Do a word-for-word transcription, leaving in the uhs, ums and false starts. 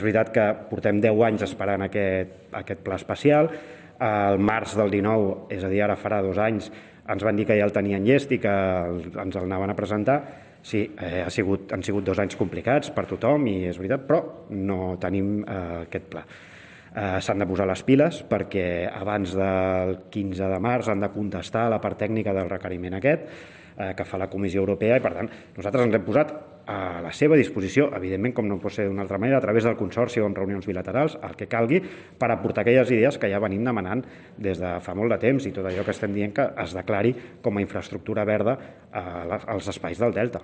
És veritat que portem deu anys esperant aquest, aquest pla especial. Al març del dinou, és a dir, ara farà dos anys, ens van dir que ja el tenien llest i que ens el anaven a presentar. Sí, eh, ha sigut, han sigut dos anys complicats per tothom, i és veritat, però no tenim eh, aquest pla. Eh, S'han de posar les piles perquè abans del quinze de març han de contestar la part tècnica del requeriment aquest eh, que fa la Comissió Europea, i per tant nosaltres ens hem posat a la seva disposició, evidentment, com no pot ser d'una altra manera, a través del Consorci o en reunions bilaterals, el que calgui, per aportar aquelles idees que ja venim demanant des de fa molt de temps, i tot allò que estem dient que es declari com a infraestructura verda als espais del Delta.